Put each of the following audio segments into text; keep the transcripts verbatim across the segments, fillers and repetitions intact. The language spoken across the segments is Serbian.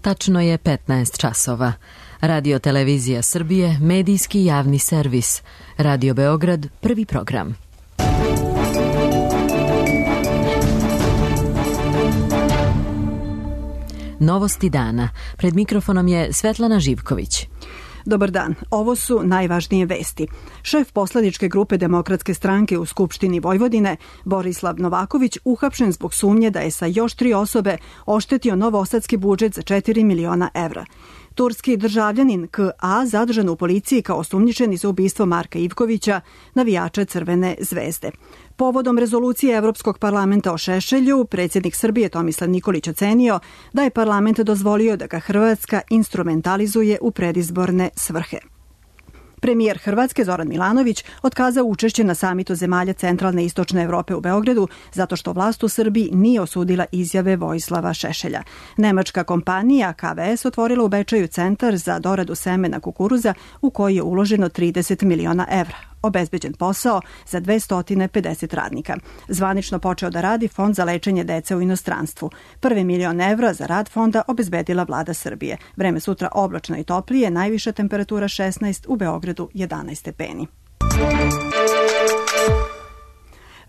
Tačno je petnaest časova. Radio Televizija Srbije, medijski javni servis. Radio Beograd, prvi program. Novosti dana. Pred mikrofonom je Svetlana Živković. Dobar dan, ovo su najvažnije vesti. Šef poslaničke grupe Demokratske stranke u Skupštini Vojvodine, Borislav Novaković, uhapšen zbog sumnje da je sa još tri osobe oštetio novosadski budžet za četiri miliona evra. Turski državljanin K A zadržan u policiji kao osumnjičeni za ubistvo Marka Ivkovića, navijača Crvene zvezde. Povodom rezolucije Evropskog parlamenta o Šešelju, predsjednik Srbije Tomislav Nikolić ocenio da je parlament dozvolio da ga Hrvatska instrumentalizuje u predizborne svrhe. Premijer Hrvatske Zoran Milanović otkazao učešće na samitu zemalja centralne i istočne Evrope u Beogradu zato što vlast u Srbiji nije osudila izjave Vojislava Šešelja. Nemačka kompanija K V S otvorila u Bečeju centar za doradu semena kukuruza u koji je uloženo trideset miliona evra. Obezbeđen posao za dvesta pedeset radnika. Zvanično počeo da radi Fond za lečenje dece u inostranstvu. Prvi milion evra za rad fonda obezbedila vlada Srbije. Vreme sutra oblačno i toplije, najviša temperatura šesnaest, u Beogradu jedanaest stepeni.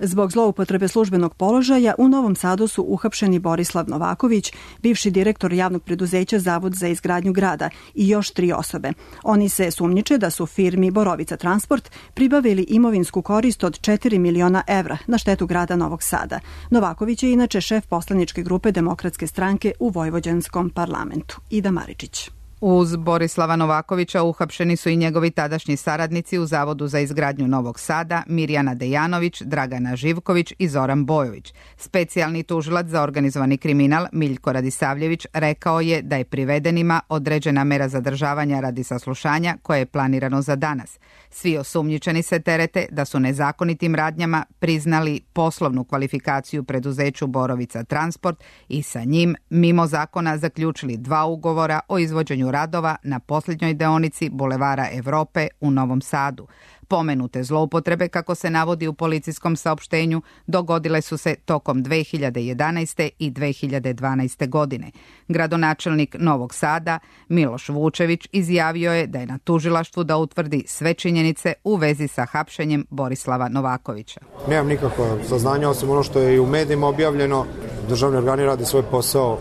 Zbog zloupotrebe službenog položaja u Novom Sadu su uhapšeni Borislav Novaković, bivši direktor javnog preduzeća Zavod za izgradnju grada, i još tri osobe. Oni se sumnjiče da su firmi Borovica Transport pribavili imovinsku korist od četiri miliona evra na štetu grada Novog Sada. Novaković je inače šef poslaničke grupe Demokratske stranke u Vojvođanskom parlamentu. Ida Maričić. Uz Borislava Novakovića uhapšeni su i njegovi tadašnji saradnici u Zavodu za izgradnju Novog Sada, Mirjana Dejanović, Dragana Živković i Zoran Bojović. Specijalni tužilac za organizovani kriminal Miljko Radisavljević rekao je da je privedenima određena mera zadržavanja radi saslušanja koje je planirano za danas. Svi osumnjičeni se terete da su nezakonitim radnjama priznali poslovnu kvalifikaciju preduzeću Borovica Transport i sa njim mimo zakona zaključili dva ugovora o izvođenju radova na posljednjoj deonici Bulevara Evrope u Novom Sadu. Pomenute zloupotrebe, kako se navodi u policijskom saopštenju, dogodile su se tokom dve hiljade jedanaeste. i dve hiljade dvanaeste. godine. Gradonačelnik Novog Sada, Miloš Vučević, izjavio je da je na tužilaštvu da utvrdi sve činjenice u vezi sa hapšenjem Borislava Novakovića. Nemam nikakva saznanja, osim ono što je i u medijima objavljeno. Državni organi rade svoj posao,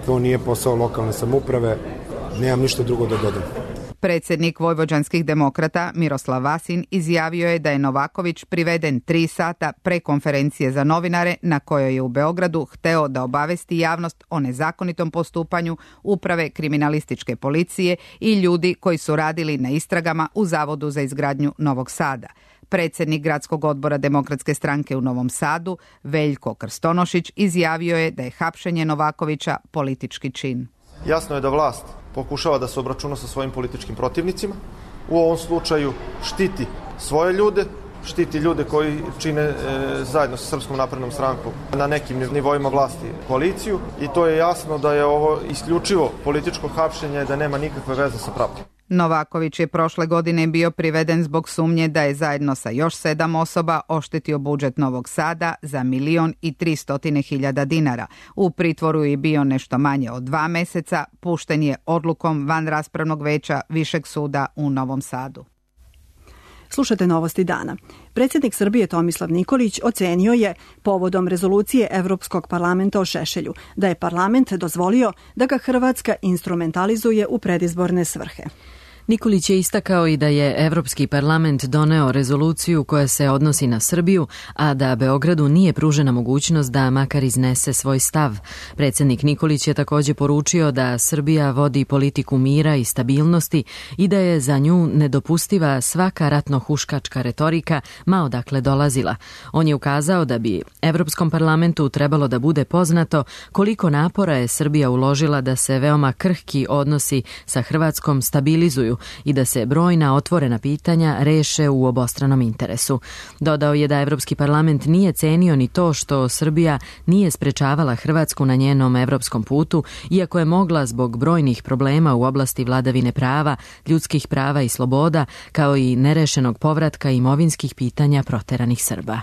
to nije posao lokalne samouprave. Nemam ništa drugo da dodam. Predsjednik Vojvođanskih demokrata Miroslav Vasin izjavio je da je Novaković priveden tri sata pre konferencije za novinare na kojoj je u Beogradu hteo da obavesti javnost o nezakonitom postupanju uprave kriminalističke policije i ljudi koji su radili na istragama u Zavodu za izgradnju Novog Sada. Predsjednik gradskog odbora Demokratske stranke u Novom Sadu, Veljko Krstonošić, izjavio je da je hapšenje Novakovića politički čin. Jasno je da vlast pokušava da se obračuna sa svojim političkim protivnicima. U ovom slučaju štiti svoje ljude, štiti ljude koji čine e, zajedno sa Srpskom naprednom strankom na nekim nivoima vlasti koaliciju, i to je jasno da je ovo isključivo političko hapšenje, da nema nikakve veze sa pravdom. Novaković je prošle godine bio priveden zbog sumnje da je zajedno sa još sedam osoba oštetio budžet Novog Sada za milion i tristotine hiljada dinara. U pritvoru je bio nešto manje od dva meseca, pušten je odlukom vanraspravnog veća Višeg suda u Novom Sadu. Slušate Novosti dana. Predsjednik Srbije Tomislav Nikolić ocenio je povodom rezolucije Evropskog parlamenta o Šešelju da je parlament dozvolio da ga Hrvatska instrumentalizuje u predizborne svrhe. Nikolić je istakao i da je Evropski parlament doneo rezoluciju koja se odnosi na Srbiju, a da Beogradu nije pružena mogućnost da makar iznese svoj stav. Predsjednik Nikolić je također poručio da Srbija vodi politiku mira i stabilnosti i da je za nju nedopustiva svaka ratno-huškačka retorika, ma odakle dolazila. On je ukazao da bi Evropskom parlamentu trebalo da bude poznato koliko napora je Srbija uložila da se veoma krhki odnosi sa Hrvatskom stabilizuju i da se brojna otvorena pitanja reše u obostranom interesu. Dodao je da Evropski parlament nije cenio ni to što Srbija nije sprečavala Hrvatsku na njenom evropskom putu, iako je mogla zbog brojnih problema u oblasti vladavine prava, ljudskih prava i sloboda, kao i nerešenog povratka imovinskih pitanja proteranih Srba.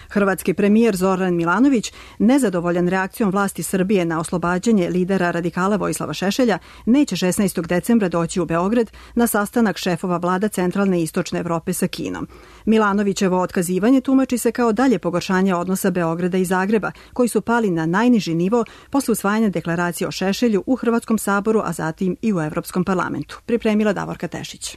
Hrvatski premijer Zoran Milanović, nezadovoljan reakcijom vlasti Srbije na oslobađanje lidera radikala Vojislava Šešelja, neće šesnaestog decembra doći u Beograd na sastanak šefova vlada centralne i istočne Evrope sa Kinom. Milanovićevo otkazivanje tumači se kao dalje pogoršanje odnosa Beograda i Zagreba, koji su pali na najniži nivo posle usvajanja deklaracije o Šešelju u Hrvatskom saboru, a zatim i u Evropskom parlamentu. Pripremila Davorka Tešić.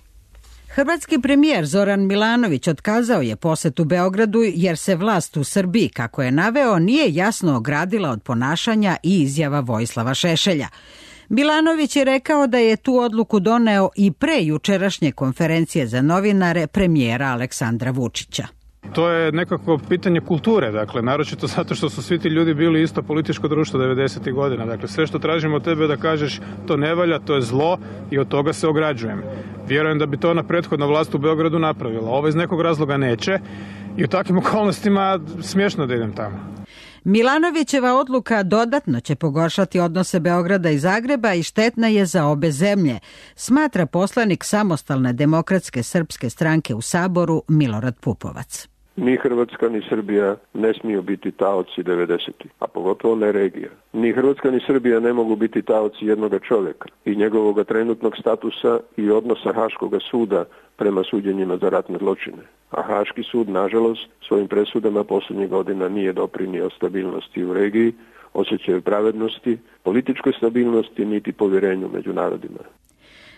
Hrvatski premijer Zoran Milanović otkazao je posetu Beogradu jer se vlast u Srbiji, kako je naveo, nije jasno ogradila od ponašanja i izjava Vojislava Šešelja. Milanović je rekao da je tu odluku doneo i pre jučerašnje konferencije za novinare premijera Aleksandra Vučića. To je nekako pitanje kulture, dakle, naročito zato što su svi ti ljudi bili isto političko društvo devedesetih godina. Dakle, sve što tražimo od tebe da kažeš to ne valja, to je zlo i od toga se ograđujem. Vjerujem da bi to ona prethodna vlast u Beogradu napravila. Ovo iz nekog razloga neće i u takvim okolnostima smiješno da idem tamo. Milanovićeva odluka dodatno će pogoršati odnose Beograda i Zagreba i štetna je za obe zemlje, smatra poslanik Samostalne demokratske srpske stranke u Saboru Milorad Pupovac. Ni Hrvatska ni Srbija ne smiju biti taoci devedesetih, a pogotovo ne regija. Ni Hrvatska ni Srbija ne mogu biti taoci jednoga čovjeka i njegovog trenutnog statusa i odnosa Haškoga suda prema suđenjima za ratne zločine. A Haški sud, nažalost, svojim presudama posljednjih godina nije doprinio stabilnosti u regiji, osjećaju pravednosti, političkoj stabilnosti niti povjerenju među narodima.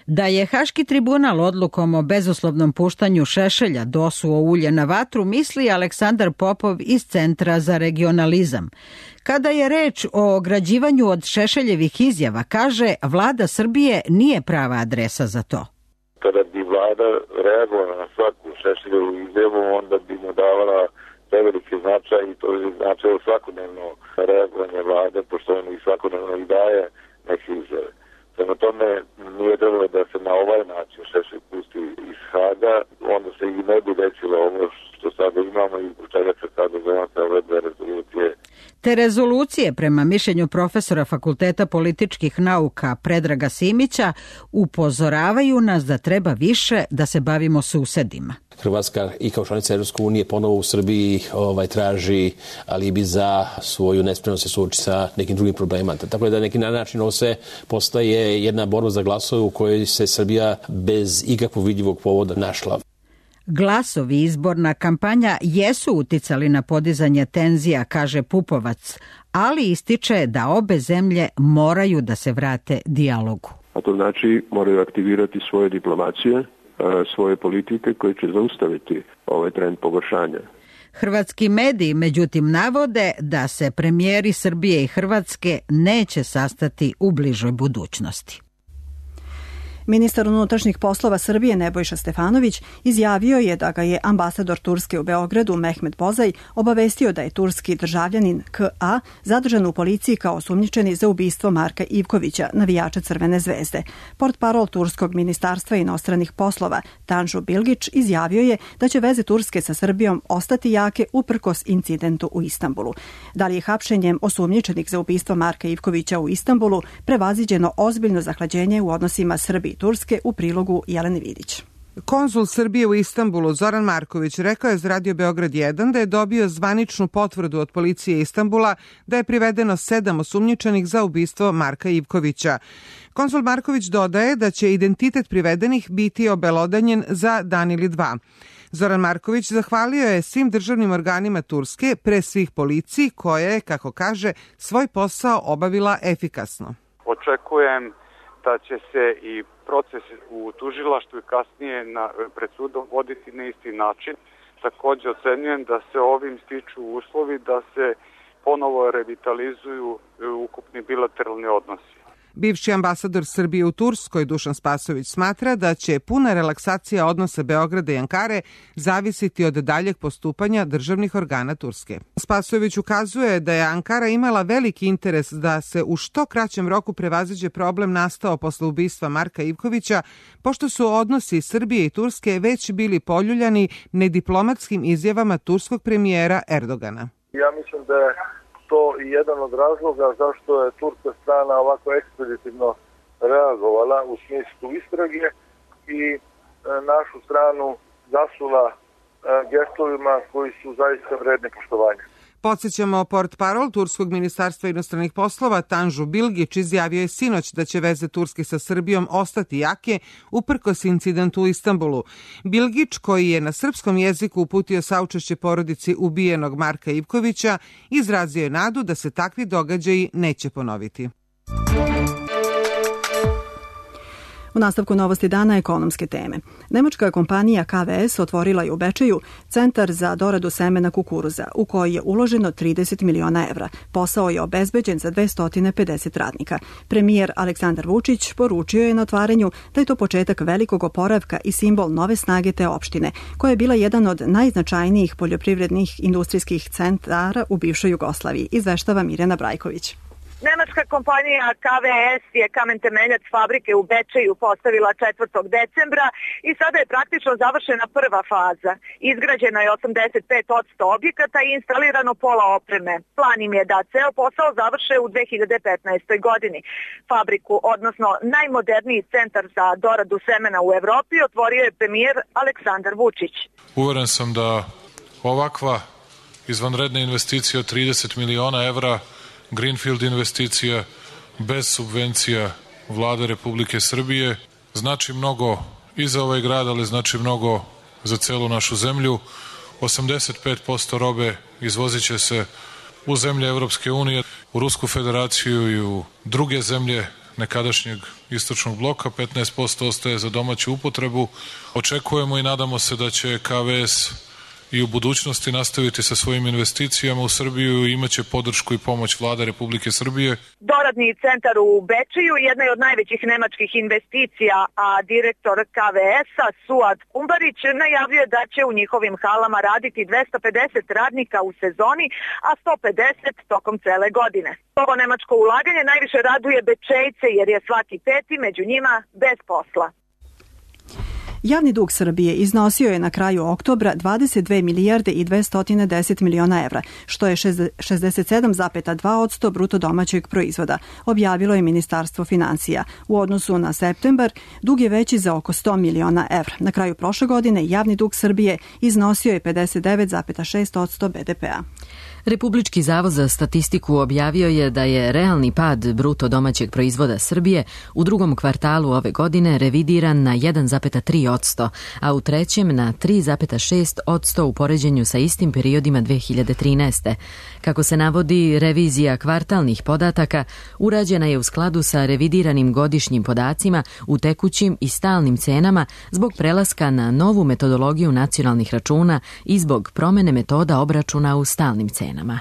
Da je Haški tribunal odlukom o bezuslovnom puštanju Šešelja dosuo ulje na vatru, misli Aleksandar Popov iz Centra za regionalizam. Kada je reč o ograđivanju od Šešeljevih izjava, kaže, vlada Srbije nije prava adresa za to. Kada bi vlada reagovala na svaku Šešeljevu izjavu, onda bi mu davala preveliki značaj i to je značilo svakodnevno reagovanje vlade, pošto on i svakodnevno i daje neke izjave. Prema tome nije trebalo da se na ovaj način Šešelj pusti iz Haga, onda se i ne bi desilo ovo što sada imamo i u čega se sada zovete ove dve rezolucije. Te rezolucije, prema mišljenju profesora Fakulteta političkih nauka Predraga Simića, upozoravaju nas da treba više da se bavimo susedima. Hrvatska i kao članica Evropske unije ponovo u Srbiji ovaj, traži alibi za svoju nespremnost se suoči sa nekim drugim problemima. Tako da na neki način ovo se postaje jedna borba za glasove u kojoj se Srbija bez ikakvog vidljivog povoda našla. Glasovi i izborna kampanja jesu uticali na podizanje tenzija, kaže Pupovac, ali ističe da obe zemlje moraju da se vrate dijalogu. A to znači moraju aktivirati svoje diplomacije, svoje politike koje će zaustaviti ovaj trend pogoršanja. Hrvatski mediji, međutim, navode da se premijeri Srbije i Hrvatske neće sastati u bližoj budućnosti. Ministar unutrašnjih poslova Srbije Nebojša Stefanović izjavio je da ga je ambasador Turske u Beogradu Mehmet Bozaj obavestio da je turski državljanin K A zadržan u policiji kao osumnjičeni za ubistvo Marka Ivkovića, navijača Crvene zvezde. Portparol Turskog ministarstva inostranih poslova Tanju Bilgić izjavio je da će veze Turske sa Srbijom ostati jake uprkos incidentu u Istanbulu. Da li je hapšenjem osumnjičenih za ubistvo Marka Ivkovića u Istanbulu prevaziđeno ozbiljno zahlađenje u odnosima Srbije Turske, u prilogu Jelene Vidić. Konzul Srbije u Istanbulu Zoran Marković rekao je za Radio Beograd jedan da je dobio zvaničnu potvrdu od policije Istanbula da je privedeno sedam osumnjičenih za ubistvo Marka Ivkovića. Konzul Marković dodaje da će identitet privedenih biti obelodanjen za dan ili dva. Zoran Marković zahvalio je svim državnim organima Turske, pre svih policiji, koja je, kako kaže, svoj posao obavila efikasno. Očekujem da će se i proces u tužilaštvu i kasnije na, pred sudom voditi na isti način. Također ocenjujem da se ovim stiču uslovi da se ponovo revitalizuju ukupni bilateralni odnosi. Bivši ambasador Srbije u Turskoj Dušan Spasović smatra da će puna relaksacija odnosa Beograda i Ankare zavisiti od daljeg postupanja državnih organa Turske. Spasović ukazuje da je Ankara imala veliki interes da se u što kraćem roku prevaziđe problem nastao posle ubistva Marka Ivkovića, pošto su odnosi Srbije i Turske već bili poljuljani nediplomatskim izjavama turskog premijera Erdogana. Ja mislim da je to i jedan od razloga zašto je turska strana ovako ekspeditivno reagovala u smislu istrage i našu stranu zasula gestovima koji su zaista vredni poštovanja. Podsjećamo, portparol Turskog ministarstva inostranih poslova Tanju Bilgić izjavio je sinoć da će veze Turske sa Srbijom ostati jake uprkos incidentu u Istanbulu. Bilgić, koji je na srpskom jeziku uputio saučešće porodici ubijenog Marka Ivkovića, izrazio je nadu da se takvi događaji neće ponoviti. U nastavku novosti dana ekonomske teme. Nemačka kompanija K V S otvorila je u Bečeju centar za doradu semena kukuruza, u koji je uloženo trideset miliona evra. Posao je obezbeđen za dvesta pedeset radnika. Premijer Aleksandar Vučić poručio je na otvaranju da je to početak velikog oporavka i simbol nove snage te opštine, koja je bila jedan od najznačajnijih poljoprivrednih industrijskih centara u bivšoj Jugoslaviji, izveštava Mirjana Brajković. Nemačka kompanija K V S je kamen temeljac fabrike u Bečeju postavila četvrtog decembra i sada je praktično završena prva faza. Izgrađeno je osamdeset pet posto objekata i instalirano pola opreme. Plan im je da ceo posao završe u dve hiljade petnaestoj. godini. Fabriku, odnosno najmoderniji centar za doradu semena u Evropi, otvorio je premijer Aleksandar Vučić. Uveren sam da ovakva izvanredna investicija od trideset miliona evra, Greenfield investicija bez subvencija Vlade Republike Srbije znači mnogo i za ovaj grad, ali znači mnogo za celu našu zemlju. osamdeset pet posto robe izvozit će se u zemlje Evropske unije, u Rusku federaciju i u druge zemlje nekadašnjeg istočnog bloka, petnaest posto ostaje za domaću upotrebu. Očekujemo i nadamo se da će K V S i u budućnosti nastaviti sa svojim investicijama u Srbiju i imaće podršku i pomoć Vlade Republike Srbije. Doradni centar u Bečeju jedna je od najvećih nemačkih investicija, a direktor K V S-a Suad Kumbarić najavljuje da će u njihovim halama raditi dvesta pedeset radnika u sezoni, a sto pedeset tokom cele godine. Ovo nemačko ulaganje najviše raduje Bečejce jer je svaki peti među njima bez posla. Javni dug Srbije iznosio je na kraju oktobra dvadeset dve milijarde i dvesta deset miliona evra, što je šezdeset sedam zarez dva posto bruto domaćeg proizvoda, objavilo je Ministarstvo finansija. U odnosu na septembar, dug je veći za oko sto miliona evra. Na kraju prošle godine javni dug Srbije iznosio je pedeset devet zarez šest posto B D P-a. Republički zavod za statistiku objavio je da je realni pad bruto domaćeg proizvoda Srbije u drugom kvartalu ove godine revidiran na jedan zarez tri posto, a u trećem na tri zarez šest posto u poređenju sa istim periodima dve hiljade trinaeste. Kako se navodi, revizija kvartalnih podataka urađena je u skladu sa revidiranim godišnjim podacima u tekućim i stalnim cenama zbog prelaska na novu metodologiju nacionalnih računa i zbog promene metoda obračuna u stalnim cenama.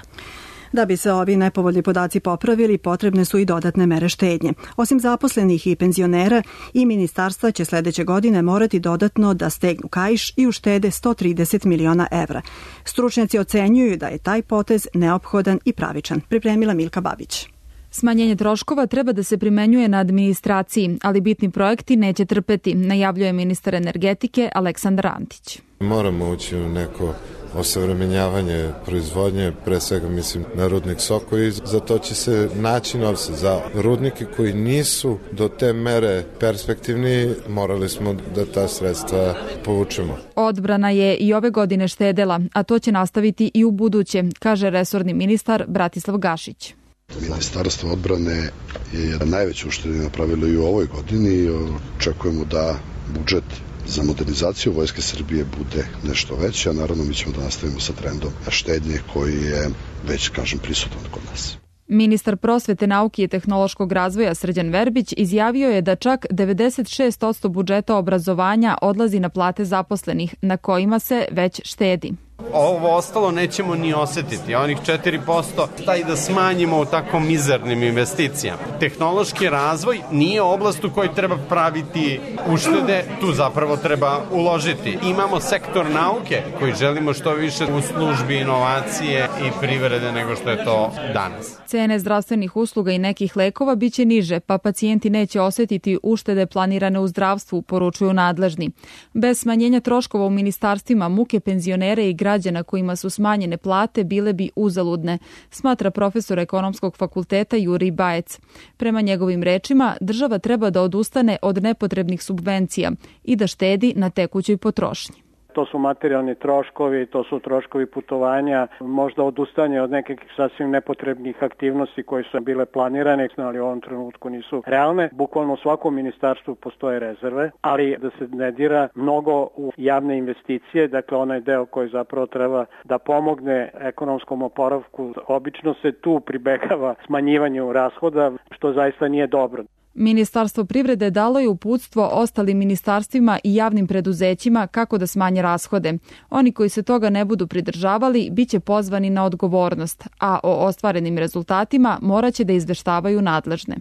Da bi se ovi nepovoljni podaci popravili, potrebne su i dodatne mere štednje. Osim zaposlenih i penzionera, i ministarstva će sledeće godine morati dodatno da stegnu kaiš i uštede sto trideset miliona evra. Stručnjaci ocenjuju da je taj potez neophodan i pravičan. Pripremila Milka Babić. Smanjenje troškova treba da se primenjuje na administraciji, ali bitni projekti neće trpeti, najavljuje ministar energetike Aleksandar Antić. Moramo ući u neko osavremenjavanje proizvodnje, pre svega mislim na rudnik Soko, i za to će se naći novce. Za rudnike koji nisu do te mere perspektivni, morali smo da ta sredstva povučemo. Odbrana je i ove godine štedela, a to će nastaviti i u buduće, kaže resorni ministar Bratislav Gašić. Ministarstvo odbrane je jedan najveći uštede napravilo i u ovoj godini i očekujemo da budžet za modernizaciju Vojske Srbije bude nešto veće, a naravno mi ćemo da nastavimo sa trendom štednje koji je već, kažem, prisutan kod nas. Ministar prosvete, nauke i tehnološkog razvoja Srđan Verbić izjavio je da čak devedeset šest posto budžeta obrazovanja odlazi na plate zaposlenih, na kojima se već štedi. Ovo ostalo nećemo ni osetiti, onih četiri posto taj da smanjimo u tako mizernim investicijama. Tehnološki razvoj nije oblast u kojoj treba praviti uštede, tu zapravo treba uložiti. Imamo sektor nauke koji želimo što više u službi inovacije i privrede nego što je to danas. Cene zdravstvenih usluga i nekih lekova biće niže, pa pacijenti neće osetiti uštede planirane u zdravstvu, poručuju nadležni. Bez smanjenja troškova u ministarstvima muke penzionere i građana kojima su smanjene plate bile bi uzaludne, smatra profesor ekonomskog fakulteta Jurij Bajec. Prema njegovim rečima, država treba da odustane od nepotrebnih subvencija i da štedi na tekućoj potrošnji. To su materijalni troškovi, to su troškovi putovanja, možda odustanje od nekih sasvim nepotrebnih aktivnosti koje su bile planirane, ali u ovom trenutku nisu realne. Bukvalno u svakom ministarstvu postoje rezerve, ali da se ne dira mnogo u javne investicije, dakle onaj deo koji zapravo treba da pomogne ekonomskom oporavku. Obično se tu pribegava smanjivanju rashoda, što zaista nije dobro. Ministarstvo privrede dalo je uputstvo ostalim ministarstvima i javnim preduzećima kako da smanje rashode. Oni koji se toga ne budu pridržavali biće pozvani na odgovornost, a o ostvarenim rezultatima moraće da izveštavaju nadležne.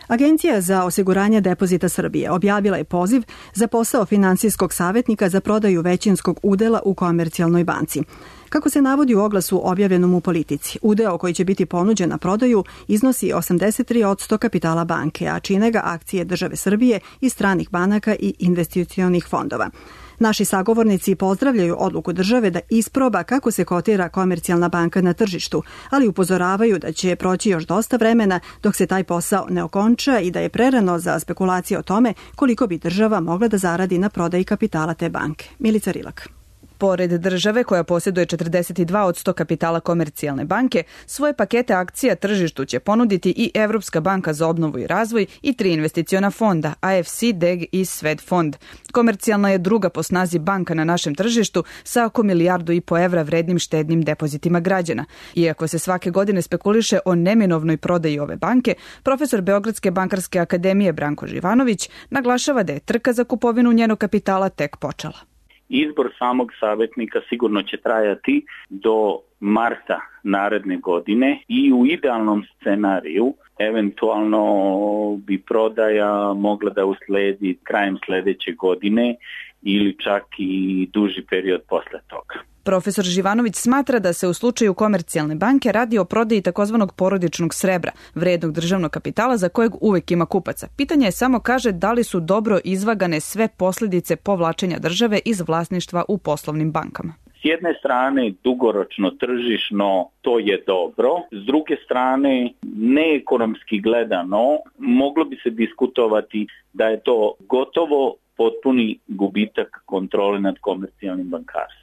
Agencija za osiguranje depozita Srbije objavila je poziv za posao finansijskog savjetnika za prodaju većinskog udela u Komercijalnoj banci. Kako se navodi u oglasu objavljenom u Politici, udeo koji će biti ponuđen na prodaju iznosi osamdeset tri posto kapitala banke, a čine ga akcije države Srbije i stranih banaka i investicionih fondova. Naši sagovornici pozdravljaju odluku države da isproba kako se kotira Komercijalna banka na tržištu, ali upozoravaju da će proći još dosta vremena dok se taj posao ne okonča i da je prerano za spekulacije o tome koliko bi država mogla da zaradi na prodaji kapitala te banke. Milica Rilak. Pored države koja posjeduje četrdeset dva posto kapitala Komercijalne banke, svoje pakete akcija tržištu će ponuditi i Evropska banka za obnovu i razvoj i tri investiciona fonda, A F C, D E G i Swedfond. Komercijalna je druga po snazi banka na našem tržištu sa oko milijardu i po evra vrednim štednim depozitima građana. Iako se svake godine spekuliše o neminovnoj prodaji ove banke, profesor Beogradske bankarske akademije Branko Živanović naglašava da je trka za kupovinu njenog kapitala tek počela. Izbor samog savjetnika sigurno će trajati do marta naredne godine i u idealnom scenariju eventualno bi prodaja mogla da usledi krajem sljedeće godine ili čak i duži period posle toga. Profesor Živanović smatra da se u slučaju Komercijalne banke radi o prodaji takozvanog porodičnog srebra, vrednog državnog kapitala za kojeg uvek ima kupaca. Pitanje je samo, kaže, da li su dobro izvagane sve posljedice povlačenja države iz vlasništva u poslovnim bankama. S jedne strane, dugoročno tržišno to je dobro, s druge strane, neekonomski gledano, moglo bi se diskutovati da je to gotovo potpuni gubitak kontrole nad komercijalnim bankarstvom.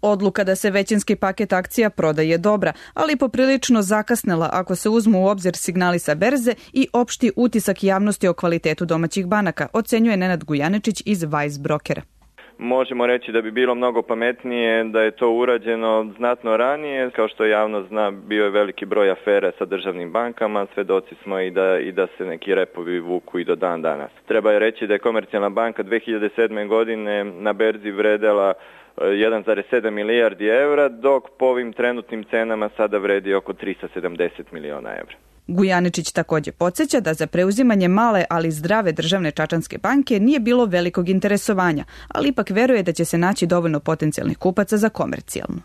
Odluka da se većinski paket akcija prodaje je dobra, ali poprilično zakasnela ako se uzmu u obzir signali sa berze i opšti utisak javnosti o kvalitetu domaćih banaka, ocenjuje Nenad Gujaničić iz Vice Brokera. Možemo reći da bi bilo mnogo pametnije da je to urađeno znatno ranije. Kao što javnost zna, bio je veliki broj afere sa državnim bankama, svedoci smo i da, i da se neki repovi vuku i do dan danas. Treba je reći da je Komercijalna banka dve hiljade sedme. godine na berzi vredela jedan zarez sedam milijardi evra, dok po ovim trenutnim cenama sada vredi oko tristo sedamdeset miliona evra. Gujaničić također podsjeća da za preuzimanje male, ali zdrave državne Čačanske banke nije bilo velikog interesovanja, ali ipak veruje da će se naći dovoljno potencijalnih kupaca za Komercijalnu.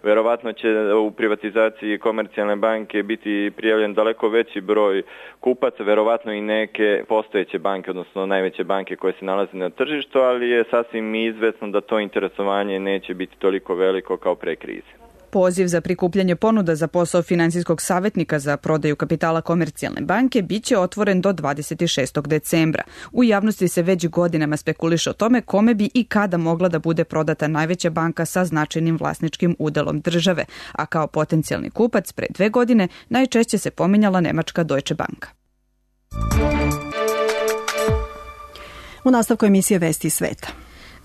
Verovatno će u privatizaciji Komercijalne banke biti prijavljen daleko veći broj kupaca, verovatno i neke postojeće banke, odnosno najveće banke koje se nalaze na tržištu, ali je sasvim izvesno da to interesovanje neće biti toliko veliko kao pre krize. Poziv za prikupljanje ponuda za posao finansijskog savjetnika za prodaju kapitala Komercijalne banke biće otvoren do dvadeset šestog decembra. U javnosti se već godinama spekuliše o tome kome bi i kada mogla da bude prodata najveća banka sa značajnim vlasničkim udelom države, a kao potencijalni kupac pre dve godine najčešće se pominjala nemačka Deutsche Bank. U nastavku emisije Vesti sveta.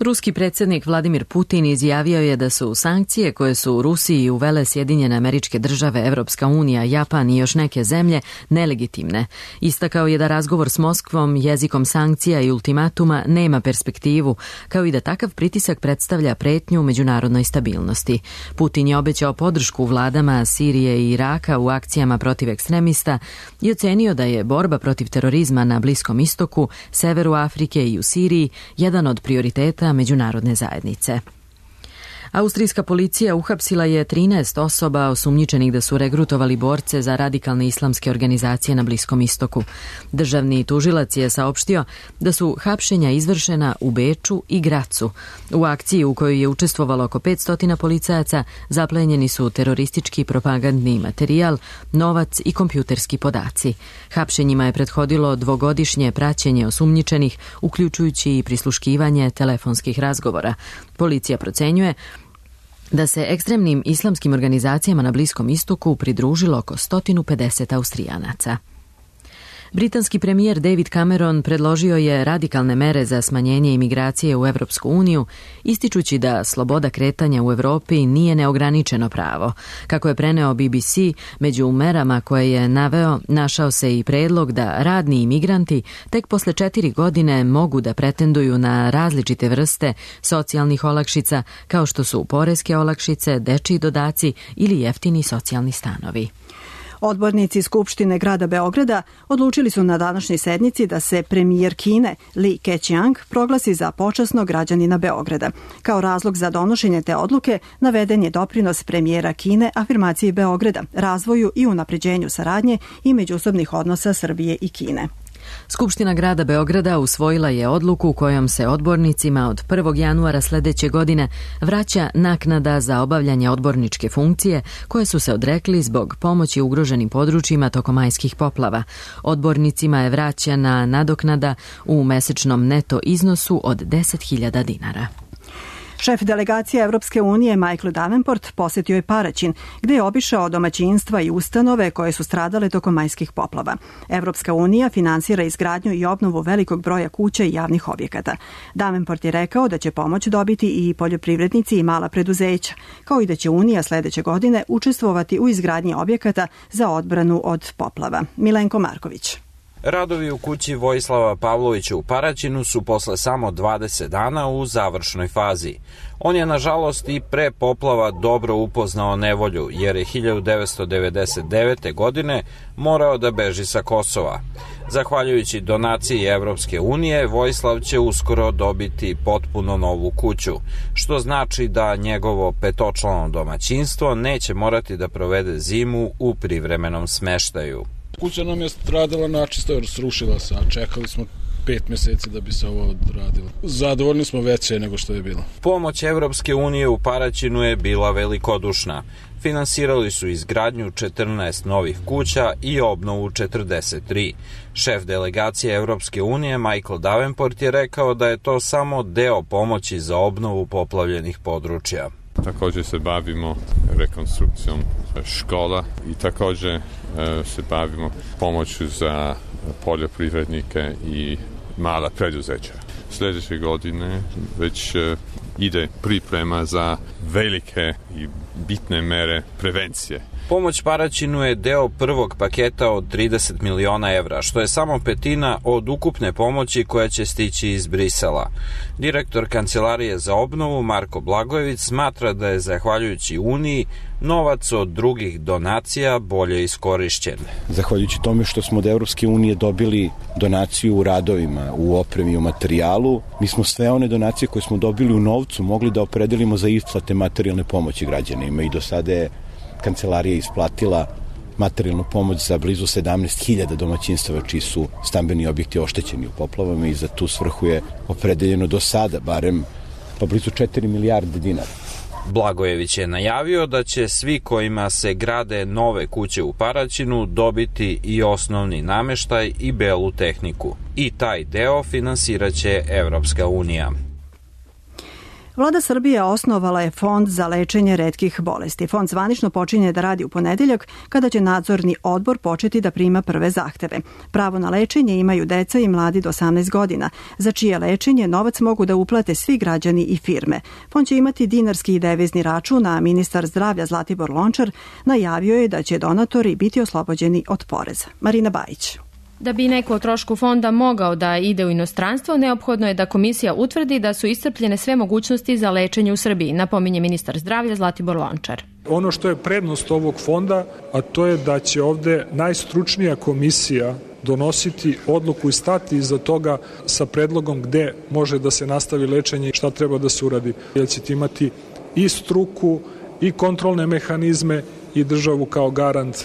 Ruski predsjednik Vladimir Putin izjavio je da su sankcije koje su u Rusiji uvele Sjedinjene Američke Države, Evropska unija, Japan i još neke zemlje nelegitimne. Istakao je da razgovor s Moskvom jezikom sankcija i ultimatuma nema perspektivu, kao i da takav pritisak predstavlja pretnju međunarodnoj stabilnosti. Putin je obećao podršku vladama Sirije i Iraka u akcijama protiv ekstremista i ocenio da je borba protiv terorizma na Bliskom istoku, severu Afrike i u Siriji jedan od prioriteta međunarodne zajednice. Austrijska policija uhapsila je trinaest osoba osumnjičenih da su regrutovali borce za radikalne islamske organizacije na Bliskom istoku. Državni tužilac je saopštio da su hapšenja izvršena u Beču i Gracu. U akciji u kojoj je učestvovalo oko petsto policajaca zaplenjeni su teroristički propagandni materijal, novac i kompjuterski podaci. Hapšenjima je prethodilo dvogodišnje praćenje osumnjičenih, uključujući i prisluškivanje telefonskih razgovora. Policija procenjuje da se ekstremnim islamskim organizacijama na Bliskom istoku pridružilo oko sto pedeset Austrijanaca. Britanski premijer David Cameron predložio je radikalne mere za smanjenje imigracije u Evropsku uniju, ističući da sloboda kretanja u Evropi nije neograničeno pravo. Kako je preneo B B C, među merama koje je naveo našao se i predlog da radni imigranti tek posle četiri godine mogu da pretenduju na različite vrste socijalnih olakšica, kao što su poreske olakšice, dečiji dodaci ili jeftini socijalni stanovi. Odbornici Skupštine grada Beograda odlučili su na današnjoj sednici da se premijer Kine Li Keqiang proglasi za počasnog građanina Beograda. Kao razlog za donošenje te odluke naveden je doprinos premijera Kine afirmaciji Beograda, razvoju i unapređenju saradnje i međusobnih odnosa Srbije i Kine. Skupština grada Beograda usvojila je odluku kojom se odbornicima od prvog januara sledeće godine vraća naknada za obavljanje odborničke funkcije koje su se odrekli zbog pomoći ugroženim područjima tokom majskih poplava. Odbornicima je vraćana nadoknada u mesečnom neto iznosu od deset hiljada dinara. Šef delegacije Evropske unije Michael Davenport posetio je Paraćin, gde je obišao domaćinstva i ustanove koje su stradale tokom majskih poplava. Evropska unija finansira izgradnju i obnovu velikog broja kuća i javnih objekata. Davenport je rekao da će pomoć dobiti i poljoprivrednici i mala preduzeća, kao i da će Unija sledeće godine učestvovati u izgradnji objekata za odbranu od poplava. Milenko Marković. Radovi u kući Vojislava Pavlovića u Paraćinu su posle samo dvadeset dana u završnoj fazi. On je, nažalost, i pre poplava dobro upoznao nevolju, jer je hiljadu devetsto devedeset devete. godine morao da beži sa Kosova. Zahvaljujući donaciji Evropske unije, Vojislav će uskoro dobiti potpuno novu kuću, što znači da njegovo petočlano domaćinstvo neće morati da provede zimu u privremenom smeštaju. Kuća nam je stradala načisto jer srušila se, a čekali smo pet meseci da bi se ovo odradilo. Zadovoljni smo veće nego što je bilo. Pomoć Evropske unije u Paraćinu je bila velikodušna. Finansirali su izgradnju četrnaest novih kuća i obnovu četrdeset tri. Šef delegacije Evropske unije Michael Davenport je rekao da je to samo deo pomoći za obnovu poplavljenih područja. Također se bavimo rekonstrukcijom škola i također se bavimo pomoću za poljoprivrednike i mala preduzeća. Sljedeće godine već ide priprema za velike i bitne mere prevencije. Pomoć Paraćinu je deo prvog paketa od trideset miliona evra, što je samo petina od ukupne pomoći koja će stići iz Brisela. Direktor Kancelarije za obnovu Marko Blagojević smatra da je, zahvaljujući Uniji, novac od drugih donacija bolje iskorišćen. Zahvaljujući tome što smo od Evropske unije dobili donaciju u radovima, u opremi, u materijalu, mi smo sve one donacije koje smo dobili u novcu mogli da opredelimo za isplate materijalne pomoći građanima i do sada je Kancelarija isplatila materijalnu pomoć za blizu sedamnaest hiljada domaćinstava čiji su stambeni objekti oštećeni u poplavama i za tu svrhu je opredeljeno do sada barem pa blizu četiri milijarde dinara. Blagojević je najavio da će svi kojima se grade nove kuće u Paraćinu dobiti i osnovni nameštaj i belu tehniku. I taj deo finansiraće Evropska unija. Vlada Srbije osnovala je Fond za lečenje retkih bolesti. Fond zvanično počinje da radi u ponedeljak, kada će nadzorni odbor početi da prima prve zahteve. Pravo na lečenje imaju deca i mladi do osamnaest godina, za čije lečenje novac mogu da uplate svi građani i firme. Fond će imati dinarski i devizni račun, a ministar zdravlja Zlatibor Lončar najavio je da će donatori biti oslobođeni od poreza. Marina Bajić. Da bi neko o trošku fonda mogao da ide u inostranstvo, neophodno je da komisija utvrdi da su iscrpljene sve mogućnosti za lečenje u Srbiji, napominje ministar zdravlja Zlatibor Lončar. Ono što je prednost ovog fonda, a to je da će ovde najstručnija komisija donositi odluku i stati iza toga sa predlogom gde može da se nastavi lečenje i šta treba da se uradi. Jer ćete imati i struku i kontrolne mehanizme i državu kao garant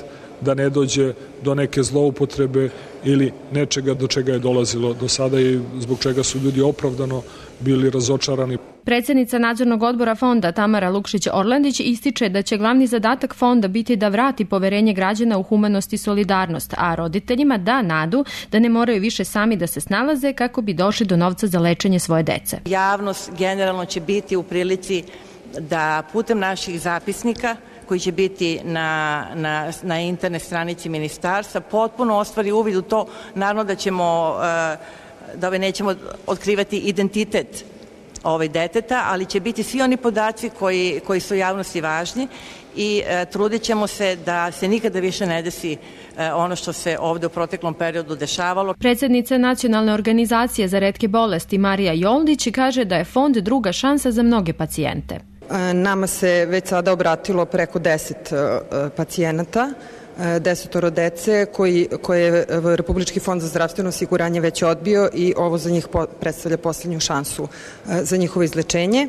da ne dođe do neke zloupotrebe ili nečega do čega je dolazilo do sada i zbog čega su ljudi opravdano bili razočarani. Predsednica nadzornog odbora fonda Tamara Lukšić-Orlandić ističe da će glavni zadatak fonda biti da vrati poverenje građana u humanost i solidarnost, a roditeljima da nadu da ne moraju više sami da se snalaze kako bi došli do novca za lečenje svoje dece. Javnost generalno će biti u prilici da putem naših zapisnika koji će biti na, na, na internet stranici ministarstva, potpuno ostvari uvid u to. Naravno da ćemo, da ove nećemo otkrivati identitet ovaj deteta, ali će biti svi oni podaci koji, koji su javnosti važni i e, trudit ćemo se da se nikada više ne desi e, ono što se ovde u proteklom periodu dešavalo. Predsednica Nacionalne organizacije za retke bolesti Marija Joldić kaže da je fond druga šansa za mnoge pacijente. Nama se već sada obratilo preko deset pacijenata, desetoro dece koji, koje je Republički fond za zdravstveno osiguranje već odbio i ovo za njih predstavlja poslednju šansu za njihovo izlečenje.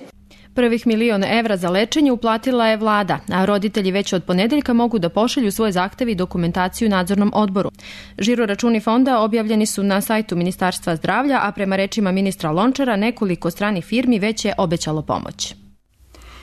Prvih milion evra za lečenje uplatila je vlada, a roditelji već od ponedeljka mogu da pošalju svoje zahteve i dokumentaciju nadzornom odboru. Žiro računi fonda objavljeni su na sajtu Ministarstva zdravlja, a prema rečima ministra Lončara nekoliko stranih firmi već je obećalo pomoć.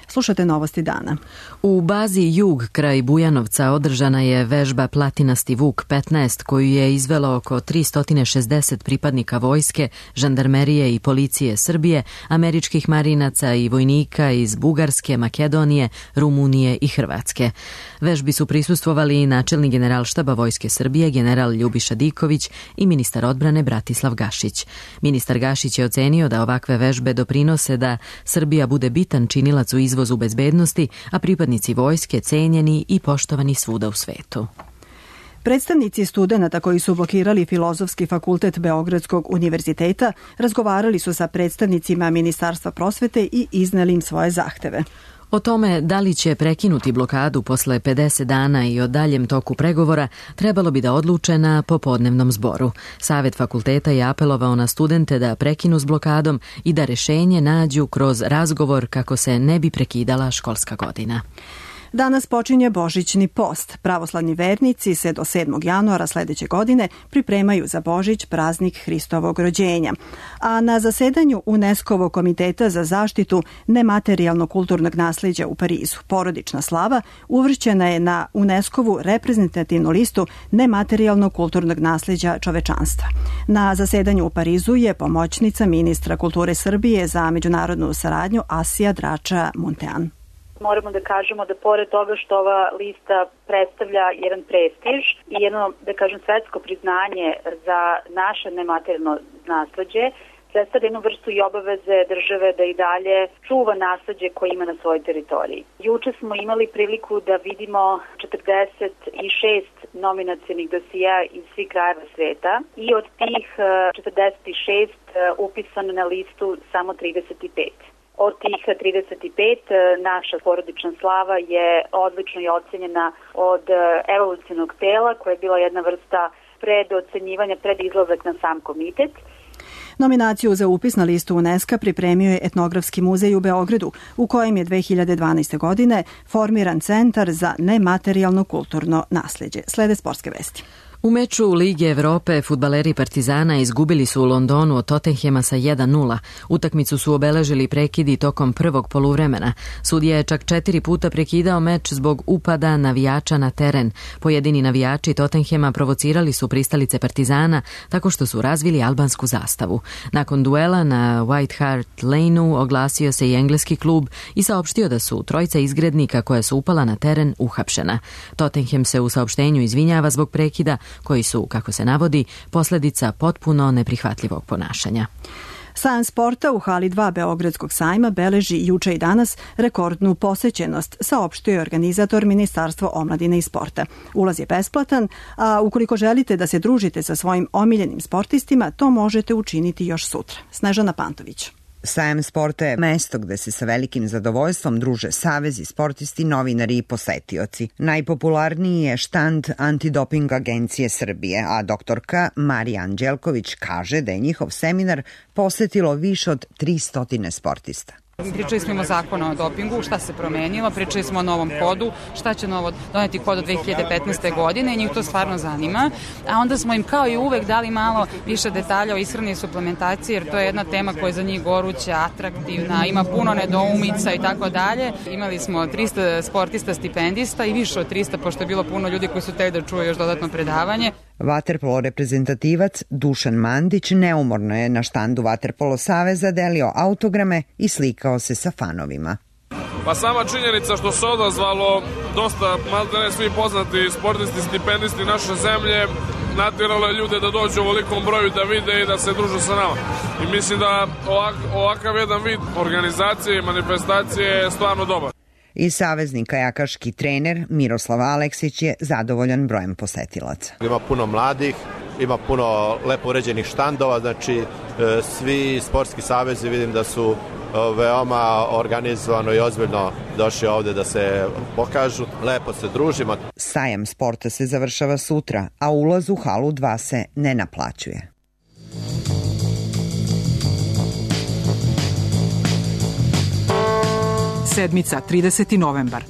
Slušate novosti dana. U bazi Jug kraj Bujanovca održana je vežba Platinasti Vuk petnaest koju je izvelo oko tristo šezdeset pripadnika vojske, žandarmerije i policije Srbije, američkih marinaca i vojnika iz Bugarske, Makedonije, Rumunije i Hrvatske. Vežbi su prisustvovali i načelnik generalštaba Vojske Srbije, general Ljubiša Diković i ministar odbrane Bratislav Gašić. Ministar Gašić je ocenio da ovakve vežbe doprinose da Srbija bude bitan činilac u izvozu bezbednosti, a pripadnici vojske cenjeni i poštovani svuda u svetu. Predstavnici studenata koji su blokirali Filozofski fakultet Beogradskog univerziteta razgovarali su sa predstavnicima Ministarstva prosvete i izneli im svoje zahteve. O tome da li će prekinuti blokadu posle pedeset dana i o daljem toku pregovora trebalo bi da odluče na popodnevnom zboru. Savet fakulteta je apelovao na studente da prekinu s blokadom i da rešenje nađu kroz razgovor kako se ne bi prekidala školska godina. Danas počinje Božićni post. Pravoslavni vernici se do sedmog januara sledeće godine pripremaju za Božić, praznik Hristovog rođenja. A na zasedanju UNESCO-vog komiteta za zaštitu nematerijalnog kulturnog nasleđa u Parizu, porodična slava uvršćena je na UNESCO-vu reprezentativnu listu nematerijalnog kulturnog nasleđa čovečanstva. Na zasedanju u Parizu je pomoćnica ministra kulture Srbije za međunarodnu saradnju Asija Drača Muntean. Moramo da kažemo da pored toga što ova lista predstavlja jedan prestiž i jedno, da kažem, svetsko priznanje za naše nematerijalno nasleđe, predstavlja jednu vrstu i obaveze države da i dalje čuva nasleđe koje ima na svojoj teritoriji. Juče smo imali priliku da vidimo četrdeset šest nominacionih dosija iz svih krajeva sveta i od tih četrdeset šest upisano na listu samo trideset pet. Od tih trideset pet naša porodična slava je odlično i ocenjena od evolucionog tela koja je bila jedna vrsta predocenjivanja, pred izlazak na sam komitet. Nominaciju za upis na listu UNESCO pripremio je Etnografski muzej u Beogradu, u kojem je dve hiljade dvanaeste. godine formiran Centar za nematerijalno kulturno nasleđe. Slede sportske vesti. U meču Lige Evrope fudbaleri Partizana izgubili su u Londonu od Tottenhema sa jedan nula. Utakmicu su obeležili prekidi tokom prvog poluvremena. Sudija je čak četiri puta prekidao meč zbog upada navijača na teren. Pojedini navijači Tottenhema provocirali su pristalice Partizana tako što su razvili albansku zastavu. Nakon duela na White Hart Lane-u oglasio se i engleski klub i saopštio da su trojica izgrednika koja su upala na teren uhapšena. Tottenham se u saopštenju izvinjava zbog prekida koji su, kako se navodi, posledica potpuno neprihvatljivog ponašanja. Sajam sporta u hali dva Beogradskog sajma beleži juče i danas rekordnu posećenost, saopštio je organizator Ministarstvo omladine i sporta. Ulaz je besplatan, a ukoliko želite da se družite sa svojim omiljenim sportistima, to možete učiniti još sutra. Snežana Pantović. Sajam sporta je mesto gde se sa velikim zadovoljstvom druže savezi, sportisti, novinari i posetioci. Najpopularniji je štand Antidoping agencije Srbije, a doktorka Marija Anđelković kaže da je njihov seminar posetilo više od tristo sportista. Pričali smo o zakonu o dopingu, šta se promenilo, pričali smo o novom kodu, šta će novo doneti kod od dve hiljade petnaeste. godine, njih to stvarno zanima, a onda smo im kao i uvek dali malo više detalja o ishrani i suplementaciji, jer to je jedna tema koja je za njih goruća, atraktivna, ima puno nedoumica i tako dalje. Imali smo trista sportista stipendista i više od trista, pošto je bilo puno ljudi koji su teli da čuju još dodatno predavanje. Vaterpolo reprezentativac Dušan Mandić neumorno je na štandu Vaterpolo saveza delio autograme i slikao se sa fanovima. Pa sama činjenica što se odazvalo dosta, malte ne svi poznati sportisti, stipendisti naše zemlje, natjeralo je ljude da dođu u velikom broju da vide i da se druže sa nama. I mislim da ovak, ovakav jedan vid organizacije i manifestacije je stvarno dobar. I savezni kajakaški trener Miroslav Aleksić je zadovoljan brojem posetilaca. Ima puno mladih, ima puno lepo uređenih štandova, znači svi sportski savezi vidim da su veoma organizovano i ozbiljno došli ovde da se pokažu, lepo se družimo. Sajam sporta se završava sutra, a ulaz u halu dva se ne naplaćuje. Sedmica, trideseti novembar.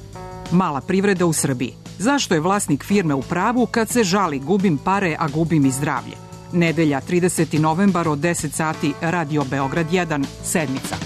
Mala privreda u Srbiji. Zašto je vlasnik firme u pravu kad se žali gubim pare, a gubim i zdravlje? Nedelja, trideseti novembar od deset sati, Radio Beograd jedan, Sedmica.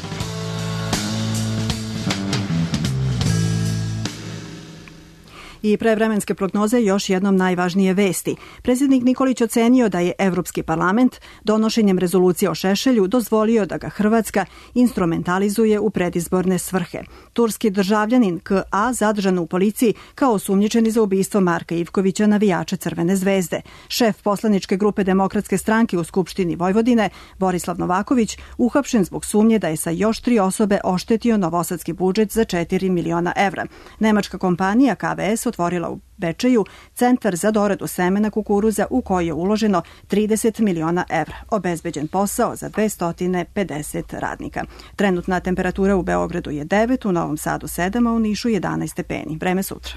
I pre vremenske prognoze još jednom najvažnije vesti. Predsjednik Nikolić ocenio da je Evropski parlament donošenjem rezolucije o Šešelju dozvolio da ga Hrvatska instrumentalizuje u predizborne svrhe. Turski državljanin K A zadržan u policiji kao osumnjičeni za ubistvo Marka Ivkovića, navijača Crvene zvezde. Šef poslaničke grupe Demokratske stranke u Skupštini Vojvodine, Borislav Novaković, uhapšen zbog sumnje da je sa još tri osobe oštetio novosadski budžet za četiri miliona evra. Nemačka kompanija K V S otvorila u Bečeju centar za doradu semena kukuruza u koji je uloženo trideset miliona evra. Obezbeđen posao za dvesta pedeset radnika. Trenutna temperatura u Beogradu je devet, u Novom Sadu sedam, a u Nišu jedanaest stepeni. Vreme sutra.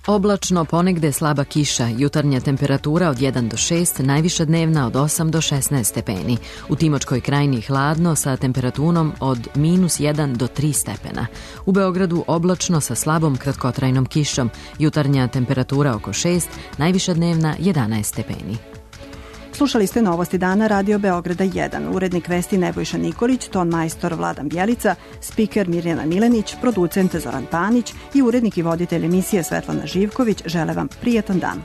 Oblačno, ponegde slaba kiša, jutarnja temperatura od jedan do šest, najviša dnevna od osam do šesnaest stepeni. U Timočkoj krajini hladno sa temperaturom od minus jedan do tri stepena. U Beogradu oblačno sa slabom kratkotrajnom kišom, jutarnja temperatura oko šest, najviša dnevna jedanaest stepeni. Slušali ste Novosti dana Radio Beograda jedan. Urednik vesti Nebojša Nikolić, ton majstor Vladan Bjelica, spiker Mirjana Milenić, producent Zoran Panić i urednik i voditelj emisije Svetlana Živković žele vam prijatan dan.